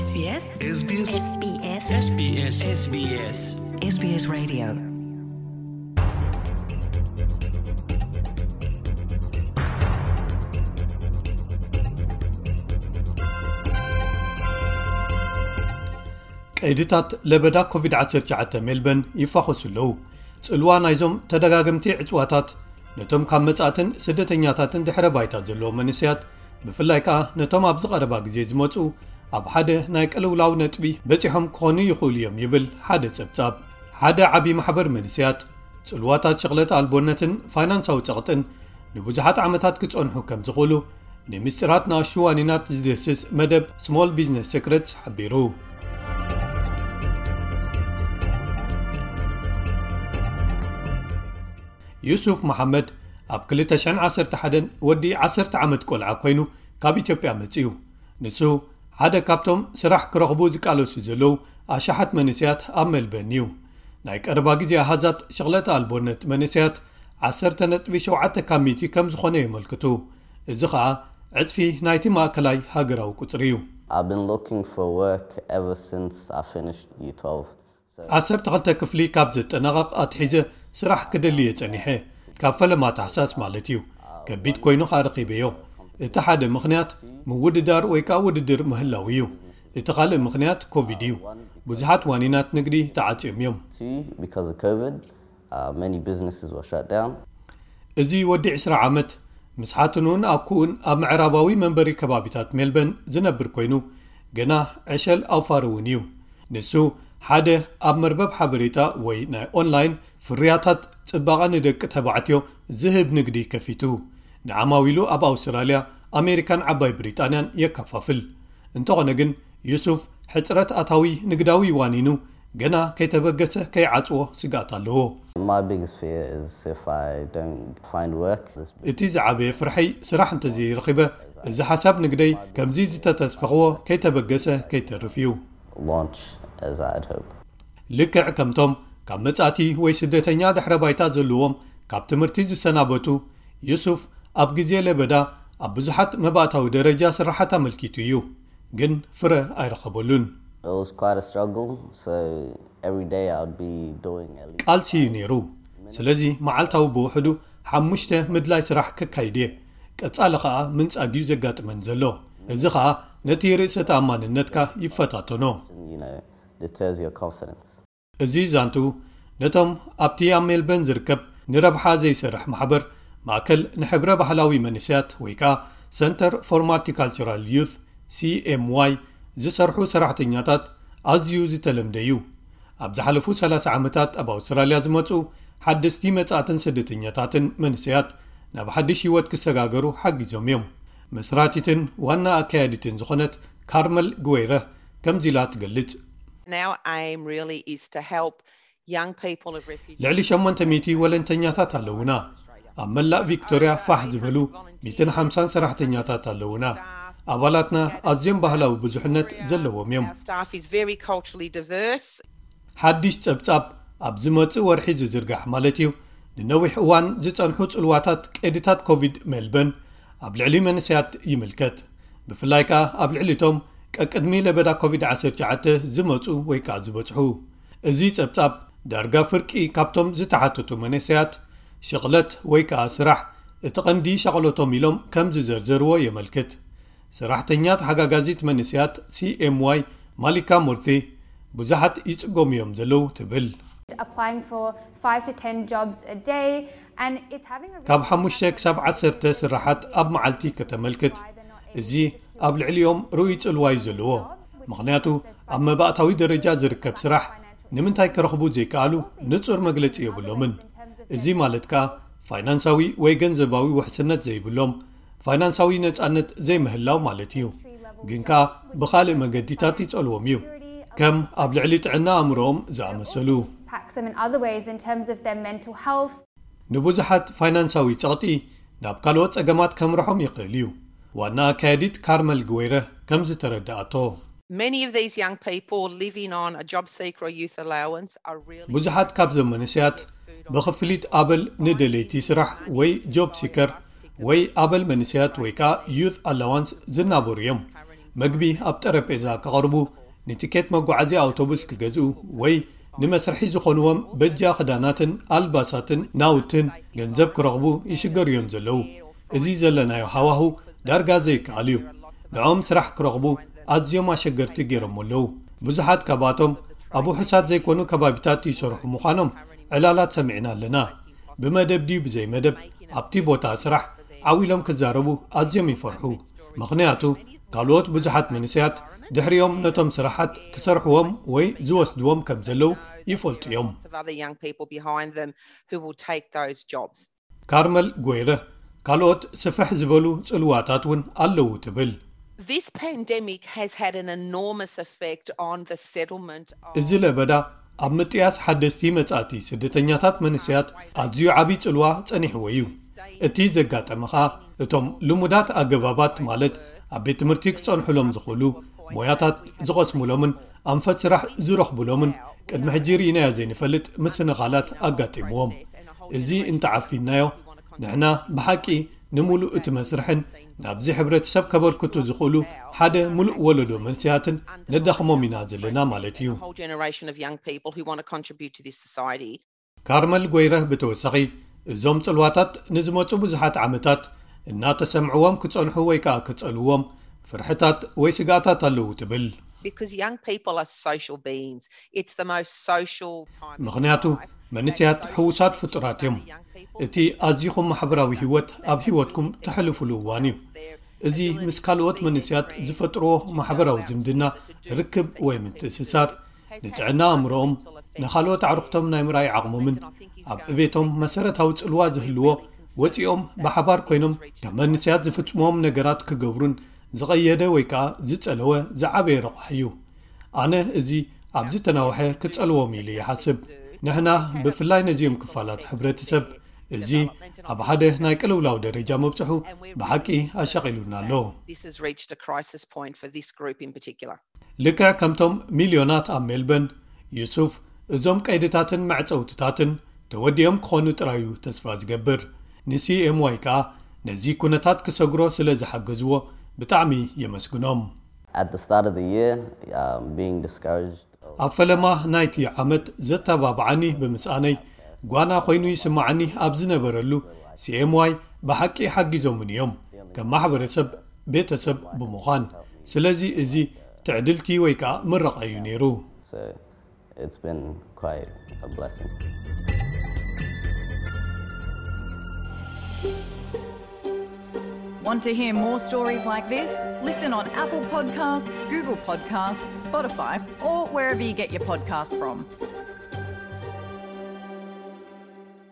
SBS SBS SBS SBS SBS SBS Radio. ቀይድታት ለበዳ ኮቪድ ዓሰርተ ትሽዓተ ሜልበን ይፋኾሱ ኣለዉ። ጽልዋ ናይዞም ተደጋገምቲ ዕጽዋታት ነቶም ካብ መጻእትን ስደተኛታትን ድሕረ ባይታ ዘለዎም መንእሰያት፣ ብፍላይ ከኣ ነቶም ኣብዚ ቀረባ ግዜ ዝመጹ፣ ኣብ ሓደ ናይ ቅልውላው ነጥቢ በጺሖም ክኾኑ ይኽእሉ እዮም ይብል ሓደ ጸብጻብ። ሓደ ዓቢ ማሕበር መንእሰያት፣ ጽልዋታት ሸቕለት ኣልቦነትን ፋይናንሳዊ ጸቕጥን ንብዙሓት ዓመታት ክጸንሑ ከም ዝኽእሉ፣ ንምስጢራት ንኣሽቱ ዋኒናት ዝድህስስ መደብ ስሞል ቢዝነስ ሴክረትስ ሓቢሩ። ዩሱፍ መሓመድ ኣብ ክልተ ሽሕን ዓሰርተ ሓደን ወዲ ዓሰርተ ዓመት ቆልዓ ኮይኑ ካብ ኢትዮጵያ መጺኡ። ንሱ ሓደ ካብቶም ስራሕ ክረኽቡ ዝቃለሱ ዘለዉ ኣሽሓት መንእሰያት ኣብ ሜልበርን እዩ። ናይ ቀረባ ግዜ ኣሃዛት ሸቕለት ኣልቦነት መንእሰያት ዓሰርተ ነጥቢ ሸውዓተ ካብ ሚእቲ ከም ዝኾነ የመልክቱ። እዚ ኸኣ ዕጽፊ ናይቲ ማእከላይ ሃገራዊ ቁጽሪ እዩ። I've been looking for work ever since I finished year twelve. ዓሰርተ ክልተ ክፍሊ ካብ ዘጠናቐቕ ኣትሒዘ ስራሕ ክደሊ እየ ጸኒሐ። ካብ ፈለማ ታሕሳስ ማለት እዩ። ከቢድ ኮይኑ ኸኣ ረኺበዮ። እቲ ሓደ ምኽንያት ምውድዳር ወይ ከኣ ውድድር ምህላው እዩ። እቲ ካልእ ምኽንያት ኮቪድ እዩ። ብዙሓት ዋኒናት ንግዲ ተዓጽዮም እዮም። Two, because of COVID, uh, many businesses were shut down. እዚ ወዲ ዕስራ ዓመት ምስ ሓትኑን ኣኩኡን ኣብ ምዕራባዊ መንበሪ ከባቢታት ሜልበን ዝነብር ኮይኑ፣ ገና ዕሸል ኣውፋር እውን እዩ። ንሱ ሓደ ኣብ መርበብ ሓበሬታ ወይ ናይ ኦንላይን ፍርያታት ጽባቐ ንደቂ ተባዕትዮ ዝህብ ንግዲ ከፊቱ፣ ንዓማዊሉ ኣብ ኣውስትራልያ፣ ኣሜሪካን ዓባይ ብሪጣንያን የከፋፍል። እንተኾነ ግን፣ ዩሱፍ ሕጽረት ኣታዊ ንግዳዊ ዋኒኑ ገና ከይተበገሰ ከይዓጽዎ ስግኣት ኣለዎ። My biggest fear is if I don't find work, this እቲ ዝዓበየ ፍርሐይ ስራሕ እንተዘይረኺበ፣ እዚ ሓሳብ ንግደይ ከምዚ ዝተተስፈኽዎ ከይተበገሰ ከይተርፍ እዩ። launch as I'd hope. ልክዕ ከምቶም ካብ መጻእቲ ወይ ስደተኛ ድሕረ ባይታ ዘለዎም ካብ ትምህርቲ ዝሰናበቱ፣ ዩሱፍ ኣብ ግዜ ለበዳ ኣብ ብዙሓት መባእታዊ ደረጃ ስራሓት ኣመልኪቱ እዩ፣ ግን ፍረ ኣይረኸበሉን። It was quite a struggle, so every day I'd be doing at least ቃልሲ እዩ ነይሩ። ስለዚ መዓልታዊ ብውሕዱ ሓሙሽተ ምድላይ ስራሕ ክካይድ እየ። ቀጻሊ ኸኣ ምንጻግ እዩ ዘጋጥመን ዘሎ። እዚ ኸኣ ነቲ ርእሰ ተኣማንነትካ ይፈታተኖ። you know, deters your confidence. እዚ ዛንቱ ነቶም ኣብቲ ኣብ ሜልበርን ዝርከብ ንረብሓ ዘይሰርሕ ማሕበር ማእከል ንሕብረ ባህላዊ መንእሰያት ወይ ከኣ Centre for Multicultural Youth፣ C M Y፣ ዝሰርሑ ሰራሕተኛታት ኣዝዩ ዝተለምደ እዩ። ኣብ ዝሓለፉ ሰላሳ ዓመታት ኣብ ኣውስትራልያ ዝመጹ ሓደስቲ መጻእትን ስደተኛታትን መንእሰያት ናብ ሓድሽ ህይወት ክሰጋገሩ ሓጊዞም እዮም። መስራቲትን ዋና ኣካያዲትን ዝኾነት ካርመል ግወይረ ከምዚ ኢላ ትገልጽ። And our aim really is to help young people of refugees. ልዕሊ ሸሞንተ ሚእቲ ወለንተኛታት ኣለውና። ኣብ መላእ ቪክቶርያ ፋሕ ዝበሉ ሚእትን ሓምሳን ሰራሕተኛታት ኣለውና። ኣባላትና ኣዝዮም ባህላዊ ብዙሕነት ዘለዎም እዮም። Our staff is very culturally diverse. ሓድሽ ጸብጻብ ኣብ ዝመጽእ ወርሒ ዝዝርጋሕ ማለት እዩ፣ ንነዊሕ እዋን ዝጸንሑ ጽልዋታት ቀይድታት ኮቪድ ሜልበርን ኣብ ልዕሊ መንእሰያት ይምልከት። ብፍላይ ከኣ ኣብ ልዕሊ እቶም ቀቅድሚ ለበዳ ኮቪድ ዓሰርተ ትሽዓተ ዝመጹ ወይ ከኣ ዝበጽሑ። እዚ ጸብጻብ ዳርጋ ፍርቂ ካብቶም ዝተሓተቱ መንእሰያት ሽቕለት ወይ ከኣ ስራሕ እቲ ቀንዲ ሸቕለቶም ኢሎም ከም ዝዘርዘርዎ የመልክት። ሰራሕተኛ ተሓጋጋዚት መንእሰያት C M Y ማሊካ ሞርቴ ብዙሓት ይጽገሙ እዮም ዘለዉ ትብል። Applying for five to ten jobs a day, and it's having a ካብ ሓሙሽተ ክሳብ ዓሰርተ ስራሓት ኣብ መዓልቲ ከተመልክት፣ እዚ ኣብ ልዕሊኦም ርኡይ ጽልዋ እዩ ዘለዎ። ምኽንያቱ ኣብ መባእታዊ ደረጃ ዝርከብ ስራሕ ንምንታይ ክረኽቡ ዘይከኣሉ ንጹር መግለጺ የብሎምን። እዚ ማለት ከኣ ፋይናንሳዊ ወይ ገንዘባዊ ውሕስነት ዘይብሎም፣ ፋይናንሳዊ ነጻነት ዘይምህላው ማለት እዩ። ግን ከኣ ብኻልእ መገዲታት ይጸልዎም እዩ፣ ከም ኣብ ልዕሊ ጥዕና ኣእምሮኦም ዝኣመሰሉ። impacts them in other ways in terms of their mental health. ንብዙሓት ፋይናንሳዊ ጸቕጢ ናብ ካልኦት ጸገማት ከምርሖም ይኽእል እዩ። ዋና ኣካያዲት ካርመል ግወይረ ከም ዝተረድኣቶ፣ Many of these young people living on a job seeker or youth allowance are really ብዙሓት ካብዞም መንእሰያት ብኽፍሊት ኣበል ንደለይቲ ስራሕ ወይ ጆብ ሲከር ወይ ኣበል መንእሰያት ወይ ከኣ ዩት ኣላዋንስ ዝናበሩ እዮም። መግቢ ኣብ ጠረጴዛ ክቐርቡ፣ ንቲኬት መጓዓዝያ ኣውቶቡስ ክገዝኡ ወይ ንመስርሒ ዝኾንዎም በጃ ክዳናትን ኣልባሳትን ናውትን ገንዘብ ክረኽቡ ይሽገሩ እዮም ዘለዉ። እዚ ዘለናዮ ሃዋሁ ዳርጋ ዘይከኣል እዩ። ንዖም ስራሕ ክረኽቡ ኣዝዮም ኣሸገርቲ ገይሮም ኣለዉ። ብዙሓት ካብኣቶም ኣብ ውሑሳት ዘይኮኑ ከባቢታት ይሰርሑ ምዃኖም ዕላላት ሰሚዕና ኣለና። ብመደብ ድዩ ብዘይ መደብ ኣብቲ ቦታ ስራሕ ዓው ኢሎም ክዛረቡ ኣዝዮም ይፈርሑ። ምኽንያቱ ካልኦት ብዙሓት መንእሰያት ድሕሪኦም ነቶም ስራሓት ክሰርሕዎም ወይ ዝወስድዎም ከም ዘለዉ ይፈልጡ እዮም። Of other young people behind them who will take those jobs. ካርመል ጎይረ ካልኦት ስፍሕ ዝበሉ ጽልዋታት እውን ኣለዉ ትብል። This pandemic has had an enormous effect on the settlement of እዚ ለበዳ ኣብ ምጥያስ ሓደስቲ መጻእቲ ስደተኛታት መንእሰያት ኣዝዩ ዓብዪ ጽልዋ ጸኒሕዎ እዩ። እቲ ዘጋጠመ ኸኣ እቶም ልሙዳት ኣገባባት ማለት ኣብ ቤት ትምህርቲ ክጸንሑሎም ዝኽእሉ ሞያታት ዝቐስሙሎምን ኣንፈት ስራሕ ዝረኽቡሎምን ቅድሚ ሕጂ ርኢናዮ ዘይንፈልጥ ምስንኻላት ኣጋጢምዎም። እዚ እንተዓፊናዮ ንሕና ብሓቂ ንምሉእ እቲ መስርሕን ናብዚ ሕብረተሰብ ከበርክቱ ዝኽእሉ ሓደ ምሉእ ወለዶ መንስያትን ነዳኽሞም ኢና ዘለና ማለት እዩ። A whole generation of young people who want to contribute to this society. ካርመል ጎይረህ ብተወሳኺ እዞም ጽልዋታት ንዝመጹ ብዙሓት ዓመታት እናተሰምዕዎም ክጸንሑ ወይ ከኣ ክጸልዎም ፍርሕታት ወይ ስጋኣታት ኣለዉ ትብል። Because young people are social beings. It's the most social time. ምኽንያቱ መንስያት ሕዉሳት ፍጡራት እዮም። እቲ ኣዚኹም ማሕበራዊ ህይወት ኣብ ህይወትኩም ተሕልፉሉ እዋን እዩ። እዚ ምስ ካልኦት መንስያት ዝፈጥርዎ ማሕበራዊ ዝምድና፣ ርክብ ወይ ምትእስሳር ንጥዕና ኣእምሮኦም፣ ንኻልኦት ኣዕሩኽቶም ናይ ምርኣይ ዓቕሞምን ኣብ ዕቤቶም መሰረታዊ ጽልዋ ዝህልዎ ወጺኦም ብሓባር ኮይኖም ከም መንስያት ዝፍጽምዎም ነገራት ክገብሩን ዝቐየደ ወይ ከኣ ዝጸለወ ዝዓበየ ረቑሕ እዩ። ኣነ እዚ ኣብ ዝተናውሐ ክጸልዎም ኢሉ ይሓስብ። ንሕና ብፍላይ ነዚኦም ክፋላት ሕብረተሰብ እዚ ኣብ ሓደ ናይ ቅልውላው ደረጃ መብጽሑ ብሓቂ ኣሻቒሉና ኣሎ። This has reached a crisis point for this group in particular. ልክዕ ከምቶም ሚልዮናት ኣብ ሜልበርን፣ ዩሱፍ እዞም ቀይድታትን መዕጸውትታትን ተወዲኦም ክኾኑ ጥራዩ ተስፋ ዝገብር። ንሲኤምዋይ ከኣ ነዚ ኩነታት ክሰግሮ ስለ ዝሓገዝዎ ብጣዕሚ የመስግኖም። At the start of the year, um, being discouraged. ኣብ ፈለማ ናይቲ ዓመት ዘተባብዓኒ ብምስኣነይ ጓና ኮይኑ ይስምዓኒ ኣብ ዝነበረሉ ሲኤምዋይ ብሓቂ ሓጊዞምኒ እዮም ከም ማሕበረሰብ ቤተሰብ ብምዃን። ስለዚ እዚ ትዕድልቲ ወይ ከኣ ምረቓ እዩ ነይሩ። So it's been quite a blessing. Want to hear more stories like this? Listen on Apple Podcasts, Google Podcasts, Spotify, or wherever you get your podcasts from.